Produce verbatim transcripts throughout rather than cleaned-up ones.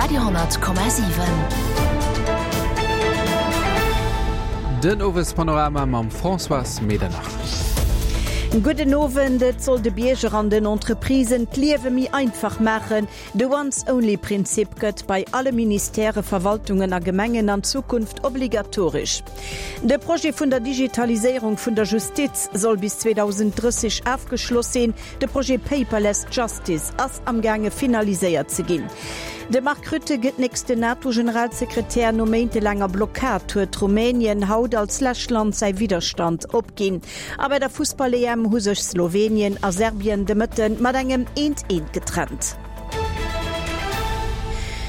Radio honnert Komma siwen. Den Owespanorama mam Françoise Medernach. Gudden Owend, Et soll de Bierger an den Entreprisen d'Liewe méi einfach maachen. De Once-Only-Prinzip gëtt bei alle Ministèrë, Verwaltungen a Gemengen an Zukunft obligatoresch. De Projet vun der Digitaliséierung vun der Justiz soll bis zweedausenddrësseg afgeschloss sinn. De Projet Paperless Justice ass amgaange finaliséiert ze ginn. De Mark Rutte gëtt nächsten NATO-Generalsekretär. No méintelaanger Blockad huet Rumänien haut als lescht Land säi Widderstand opginn. A bei der Fussball-E M hu sech Slowenien a Serbien de Mëtte mat engem Eent-Eent getrennt.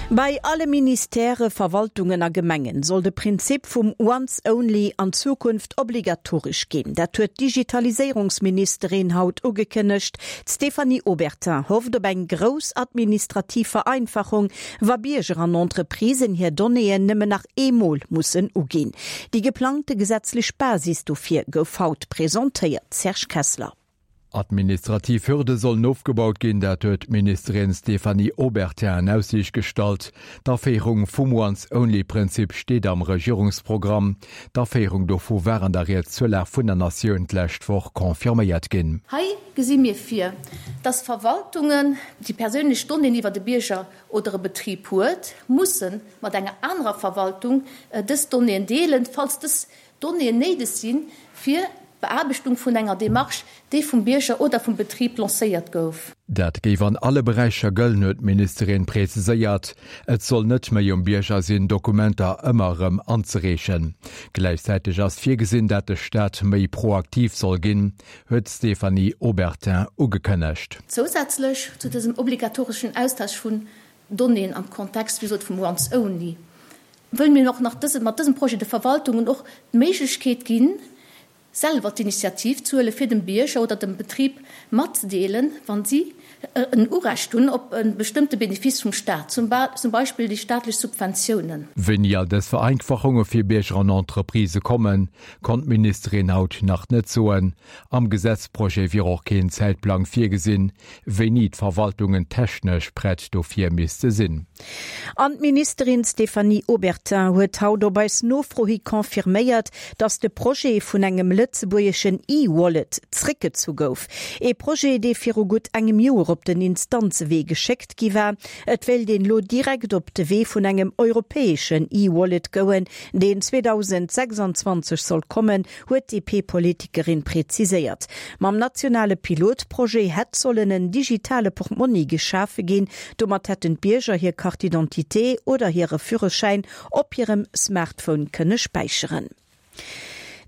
Bei alle Ministèrë, Verwaltungen a Gemengen soll de Prinzip vum Once Only an Zukunft obligatoresch ginn. Dat huet d'Digitaliséierungsministerin haut ugekënnegt. D'Stéphanie Obertin hofft op eng grouss administrativ Vereinfachung, wa Bierger an Entreprisen hir Donnéeën nëmmen nach eemol mussen uginn. Déi geplangte gesetzlech Basis dofir gouf haut presentéiert. Serge Kessler. Administrativ Hürde sollen ofgebaut ginn, dat huet d'Ministerin Stéphanie Obertin an Aussiicht gestallt. D'Aféierung vum Once-Only-Prinzip steet am Regierungsprogramm. D'Aféierung dovu war an der Ried zur Lag vun der Natioun d'lescht Woch confirméiert ginn. Hei gesi mir vir, dass Verwaltungen, déi perséinlech Donnéeën iwwer de Bierger oder e Betrib huet, musse mat enger anerer Verwaltung dës Donnéeën deelen, falls dës Donnéeën néideg sinn, fir d'Beaarbechtung vun enger Demarche, déi vum Bierger oder vum Betrib lancéiert gouf. Dat géif an alle Beräicher gëllen, huet d'Ministerin preziséiert. Et soll net méi um Bierger sinn, Dokumenter ëmmer erëm anzereechen. Gläichzäiteg ass virgesinn, dat de Staat méi proaktiv soll ginn, huet d'Stéphanie Obertin ugekënnegt. Zousätzlech zu dësem obligatoreschen Austausch vun Donnéeën am Kontext, wéi gesot, vum Once Only, wëlle mir och nach dëse, mat dësem Projet de Verwaltungen och d'Méiglechkeet ginn, selwer d'Initiativ ze huelen, fir dem Bierger oder dem Betrib matzedeelen, wa si en Urecht hunn op e bestëmmte Benefice vum Staat, zum Beispill déi staatlech Subventiounen. Wéini all dës Vereinfachunge fir Bierger an Entreprisë kommen, konnt d'Ministerin haut nach net soen. Am Gesetzprojet wier och keen Zäitplang virgesinn, wéini d'Verwaltungen technesch prett dofir misste sinn. An d'Ministerin Stéphanie Obertin huet haut op eis Nofro hi confirméiert, datt de Projet vun engem lëtzebuergeschen E-Wallet zréckgezu gouf. Ee Projet, dee viru gutt engem Joer op den Instanzewee geschéckt gi war. Et wéilt een elo direkt op de Wee vun engem europäeschen E-Wallet goen, deen zweedausendsechsanzwanzeg soll kommen, huet d'D P-Politikerin preziséiert. Mam nationale Pilotprojet hätt sollen en digitale Portmonni geschafe ginn. Domat hätten d'Bierger hir Carte d'identité oder hire Führerschäin op hirem Smartphone kënne späicheren.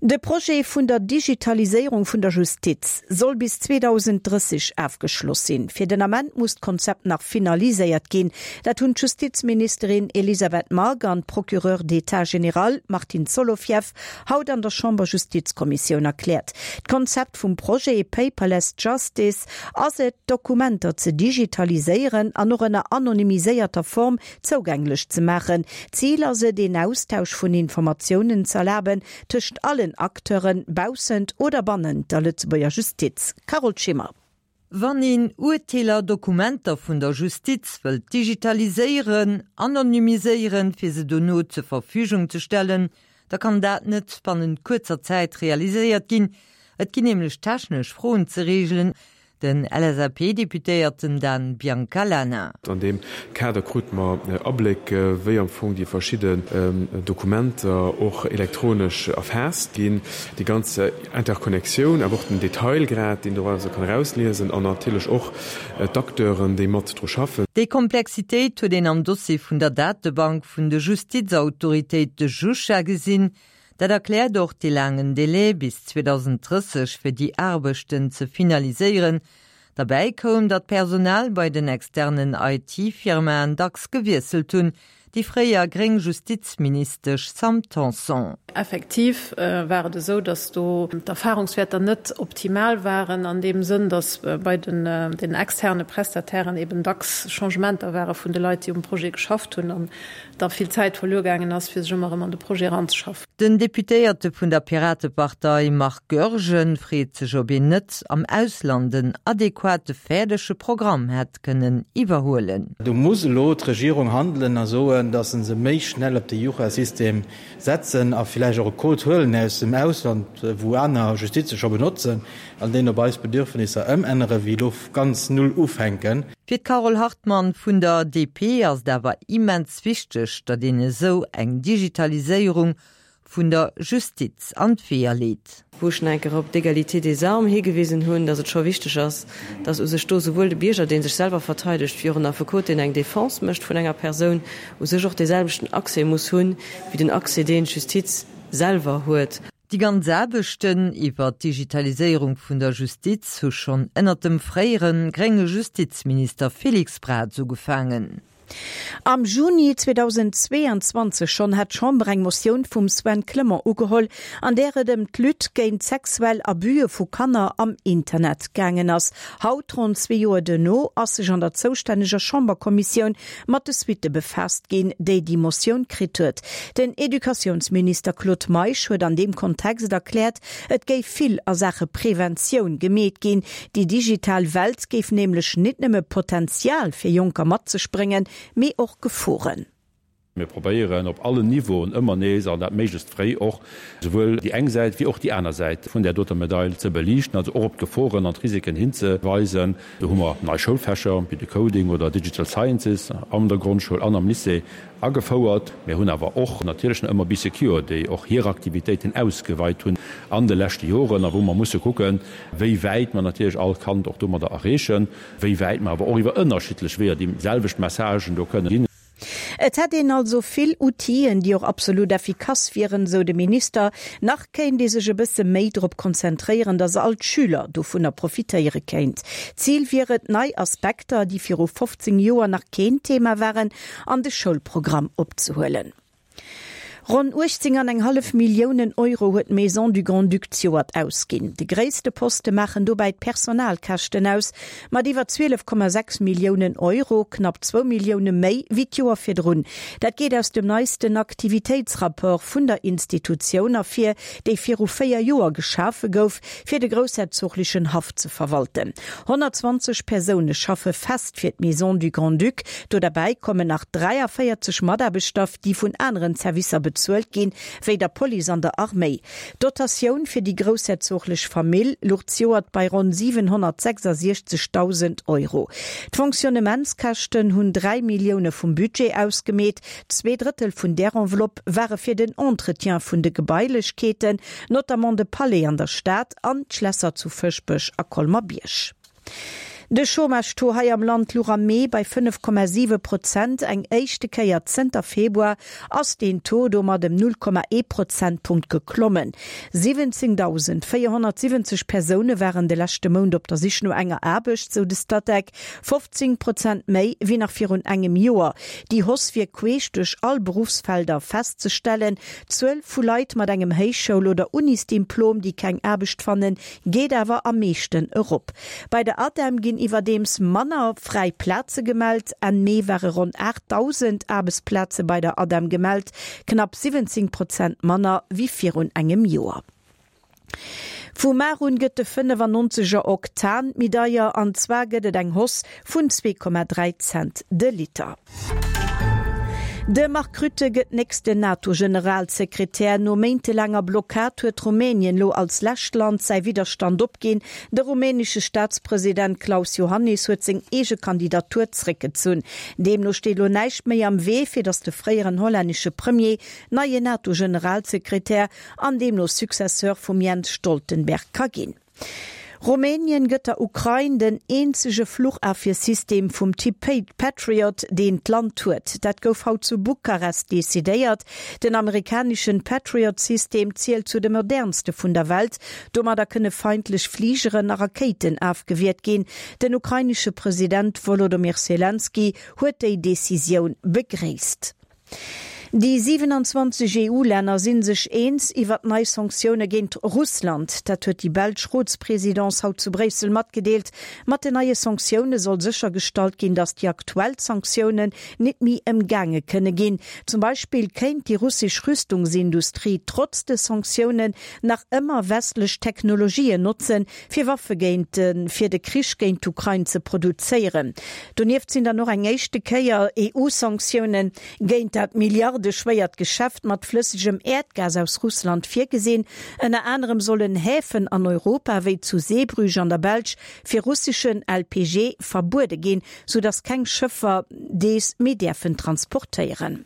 De Projet vun der Digitaliséierung vun der Justiz soll bis zweedausenddrësseg afgeschloss sinn. Fir den Ament muss d'Konzept nach finaliséiert ginn. Dat hunn d'Justizministerin Elisabeth Margue an d'Procureur d'État général Martin Solofieff haut an der Chamberjustizkommissioun erkläert. D'Konzept vum Projet Paperless Justice ass et, Dokumenter ze digitaliséieren an och ënner anonymiséierter Form zougänglech ze maachen. Zil ass et, een Austausch vun Informatiounen ze erlaben tëscht allen Acteuren baussent oder bannent der Lëtzebuerger Justiz. Carole Schimmer. Wann een Urteeler, Dokumenter vun der Justiz wëllt digitaliséieren, anonymiséieren, fir se dono zur Verfügung ze stellen, da kann dat net bannent kuerzer Zäit realiséiert ginn. Et ginn nämlech technesch Froen ze reegelen, den L S A P-Deputéierten Dan Biancalana. An deem Kader krute mer Abléck, wéi am Fong déi verschidden Dokumenter och elektronesch erfaasst ginn, déi ganz Interconnectioun, awer och den Detailgrad, deen dorauser kann erausliesen, an natierlech och d'Acteuren, déi mat dru schaffen. Déi Komplexitéit huet een am Dossier vun der Datebank vun de Justizautoritéite JUSCHA gesinn. Dat erkläert och de laangen Delai bis zweedausenddrësseg fir déi Aarbechten ze finaliséieren. Derbäi koum, datt d'Personal bei den externen I T-Firmaen dacks gewiesselt hunn, déi fréier gréng Justizministesch Sam Tanson. Effektiv war et esou, datt do d'Erfahrungswäerter net optimal waren an deem Sënn, datt bei den den externe Prestatairen eben dacks Changementer ware vun de Leit, déi um Projet geschafft hunn an da vill Zäit verluer gaangen ass, fir sech ëmmer erëm an de Projet eranzeschaffen. Den Deputéierte vun der Piratepartei Marc Goergen freet sech, ob een net am Ausland en adequate fäerdege Programm hätt kënnen iwwerhuelen. Do muss elo d'Regierung handelen a soen, datt se méi schnell op de Jucha-System setzen a villäicht och e Code huelen aus dem Ausland, wou aner Justize scho benotzen, an deen op eis Bedürfnisser ëmänneren, wéi elo ganz null ufänken. Fir d'Carole Hartmann vun der D P ass et awer immens wichteg, datt een esou eng Digitaliséierung vun der Justiz an d'Weeër leet. Wou ech nach eng Kéier op d'Égalité des armes higewisen hunn, datt et scho wichteg ass, datt u sech do souwuel de Bierger, dee sech selwer verteidegt, wéi och en Affekot, deen eng Defense mécht vun enger Persoun, u sech och deeselwechten Accès muss hunn, wéi den Accès, deen d'Justiz selwer huet. Déi ganz Aarbechten iwwer d'Digitaliséierung vun der Justiz hu schonn ënnert dem fréiere grénge Justizminister Félix Braz ugefaangen. Am Juni zweedausendzweeanzwanzeg schonn hat d'Chamber eng Motioun vum Sven Clement ugeholl, an där et ëm d'Lutte géint sexuell Abuse vu Kanner am Internet gaangen ass. Haut, ronn zwee Joer duerno, ass sech an der zoustänneger Chamberkommissioun mat de Suitte befaasst ginn, déi déi Motioun kritt huet. Den Educatiounsminister Claude Meisch huet an deem Kontext erkläert, et géif vill a Saache Preventioun gemeet ginn. Déi digital Welt géif nämlech net nëmme Potenzial fir Jonker mat sech bréngen, mee och Geforen. Mir probéieren op allen Niveauen ëmmer nees, an dat méiglechst fréi och, souwuel déi eng Säit wéi och déi aner Säit vun där doter Medail ze beliichten, also och op d'Geforen an d'Risiken hinzeweisen. Do hu mer nei Schoulfächer wéi de Coding oder Digital Sciences an der Grondschoul an am Lycée agefouert. Mir hunn awer och natierlech nach ëmmer Bee Secure, déi och hir Aktivitéiten ausgeweit hunn an de leschte Joren a wou mer musse kucken, wéi wäit mer natierlech all Kand och domadder erreechen, wéi wäit mer awer och iwwer ënnerschiddlech Weeër déi selwecht Messagen do kënnen ginn. Et hätt een also vill Outiller, déi och absolut effikass wieren, sou de Minister. Nach kéint ee sech e bësse méi drop konzentréieren, datt all d'Schüler dovunner profitéiere kéint. Zil wier et, nei Aspekter, déi viru fofzéng Joer nach keen Thema waren, an de Schoulprogramm opzehuelen. Ronn uechtzéng an eng hallef Milliounen Euro huet d'Maison du Grand-Duc zejoert ausginn. De gréisste Poste maachen dobäi d'Personalkäschten aus, mat iwwer zwielef Komma sechs Milliounen Euro, knapp zwou Millioune méi wéi d'Joer virdrun. Dat geet aus dem neisten Aktivitéitsrapport vun der Institutioun ervir, déi viru véier Joer geschafe gouf, fir de groussherzoglechen Haff ze verwalten. Honnertzwanzeg Persoune schaffe fest fir d'Maison du Grand-Duc, do derbäi kommen nach dräiavéierzeg Mataarbechter, déi vun aneren Servicer bezuelt ginn, wéi der Police an der Arméi. D'Dotatioun fir déi groussherzoglech Famill louch zejoert bei ronn siwenhonnertsechsasiechzegdausend Euro. D'Fonctionnementskäschten hunn dräi Millioune vum Budget ausgemeet. Zwee Drëttel vun där Enveloppe ware fir den Entretien vun de Gebailechkeeten, notamment de Palais an der Stad an d'Schlässer zu Fëschbech a Colmer-Bierg. De Chômage-Taux hei am Land louch am Mee bei fënnef Komma siwe Prozent. Eng éischte Kéier zënter Februar ass deen Taux domat ëm null Komma ee Prozentpunkt geklommen. siwwenzéngdausend véierhonnertsiwwenzeg Persoune waren de leschte Mount op der Sich no enger Aarbecht, sou de Statec, fofzéng Prozent méi wéi nach virun engem Joer. Déi Hausse wier queesch duerch all Beruffsfelder festzestellen. D'Zuel vu Leit mat engem Héichschoul oder Unisdiplom, déi keng Aarbecht fannen, geet awer am meeschten erop. Bei der ADEM ginn iwwerdeems manner fräi Plaze gemellt. Enn Mee ware ronn aachtdausend Aarbechtsplaze bei der ADEM gemellt, knapp siwwenzéng Prozent manner wéi virun engem Joer. Vu mar un gëtt de fënnefannonzeger Oktan méi deier, an zwar gëtt et eng Hausse vun zwee Komma dräi Cent de Liter. De Mark Rutte gëtt nächsten NATO-Generalsekretär. No méintelaanger Blockad huet Rumänien lo als lescht Land säi Widderstand opginn. De rumänesche Staatspresident Klaus Iohannis huet seng eege Kandidatur zréckgezunn. Deemno steet lo näischt méi am Wee, fir datt de fréieren hollännesche Premier neien NATO-Generalsekretär an deemno Successeur vum Jens Stoltenberg ka ginn. Rumänien gëtt der Ukrain den eenzege Fluchafwiersystem vum Typ Patriot, deen d'Land huet. Dat gouf haut zu Bukarest decidéiert. Den amerikaneschen Patriot-System zielt zu de modernste vun der Welt. Domadder kënne feindlech Fligeren a Rakéiten ofgewiert ginn. Den ukrainesche President Wolodymyr Selenskyj huet déi Decisioun begréisst. Déi siwenanzwanzeg EU-Länner si sech eens iwwer nei Sanktioune géint Russland. Dat huet déi belsch Rotspresidence haut zu Bréissel matgedeelt. Mat den neie Sanktioune soll séchergestallt ginn, datt déi aktuell Sanktiounen net méi ëmgaange kënne ginn. Zum Beispill kéint déi russesch Rüstungsindustrie trotz de Sanktiounen nach ëmmer westlech Technologien notzen, fir Waffe géint fir de Krich géint d'Ukrain ze produzéieren. Donieft sinn dann och eng éischte Kéier EU-Sanktioune géint dat milliardeschwéiert Geschäft mat flëssegem Äerdgas aus Russland virgesinn. Ënner anerem sollen Häfen an Europa, wéi zu Zeebrugge an der Belsch, fir russeschen L P G verbuede ginn, sou datt keng Schëffer dees méi däerfen transportéieren.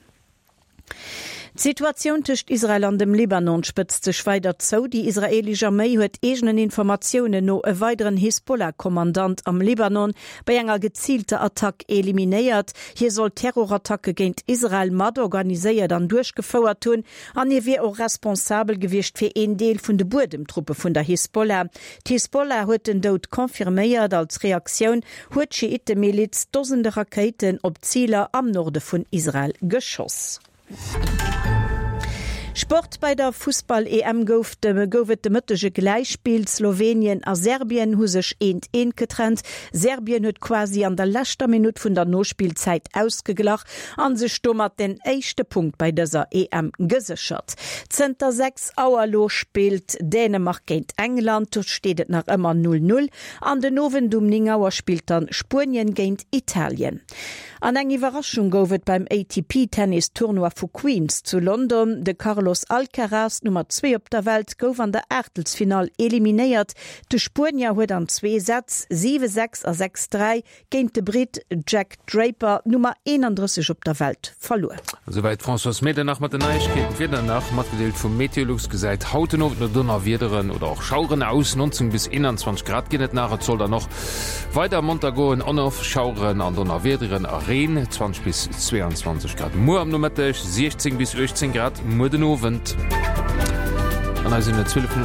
D'Situatioun tëscht Israel an dem Libanon spëtzt sech weider zou. Déi israeelesch Arméi huet eegenen Informatiounen no e weideren Hisbollah-Kommandant am Libanon bei enger geziilter Attack eliminéiert. Hie soll Terrorattacke géint Israel mat organiséiert an duerchgefouert hunn an hie wier och responsabel gewiescht fir een Deel vun de Buedemtruppe vun der Hisbollah. D'Hisbollah huet den Doud confirméiert. Als Reaktioun huet d'Schiittemiliz Dosende Rakéiten op Ziler am Norde vun Israel geschoss. Sport, Bei der Fussball-E M gouf de gouf et de Mëtteg e Gläichspill. Slowenien a Serbien hu sech eent eent getrennt. Serbien huet quasi an der leschter Minutt vun der Nospillzäit ausgeglach an sech domat den éischte Punkt bei dëser E M geséchert. Zënter sechs Auer elo spillt Dänemark géint England, do steet et nach ëmmer null null. An den Owend um néng Auer spillt dann Spuenien géint Italien. An eng Iwwerraschung gouf et beim A T P-Tennis-Tournoi vu Queens zu London. De Carlos Alcaraz, Nummer zwee op der Welt, gouf an der Aachtelsfinall eliminéiert. De Spuenier huet an zwee Sätz, siwe sechs a sechs dräi, géint de Britt Jack Draper, Nummer eenandrësseg op der Welt, verluer. Esouwäit d'Françoise Medernach mat den Neiegkeeten. D'Wieder nach matgedeelt vum Meteolux gesäit haut den Owend no Donnerwiederen oder och Schaueren aus. neunzehn bis einundzwanzig Grad ginn et nach. Et soll dann och weider munter goen. On-off Schaueren an Donnerwiederen a Reen, zwanzig bis zweiundzwanzig Grad muer am Nomëtteg, siechzehn bis achtzehn Grad muer den Owend. An eis sinn et zwielef Minutten.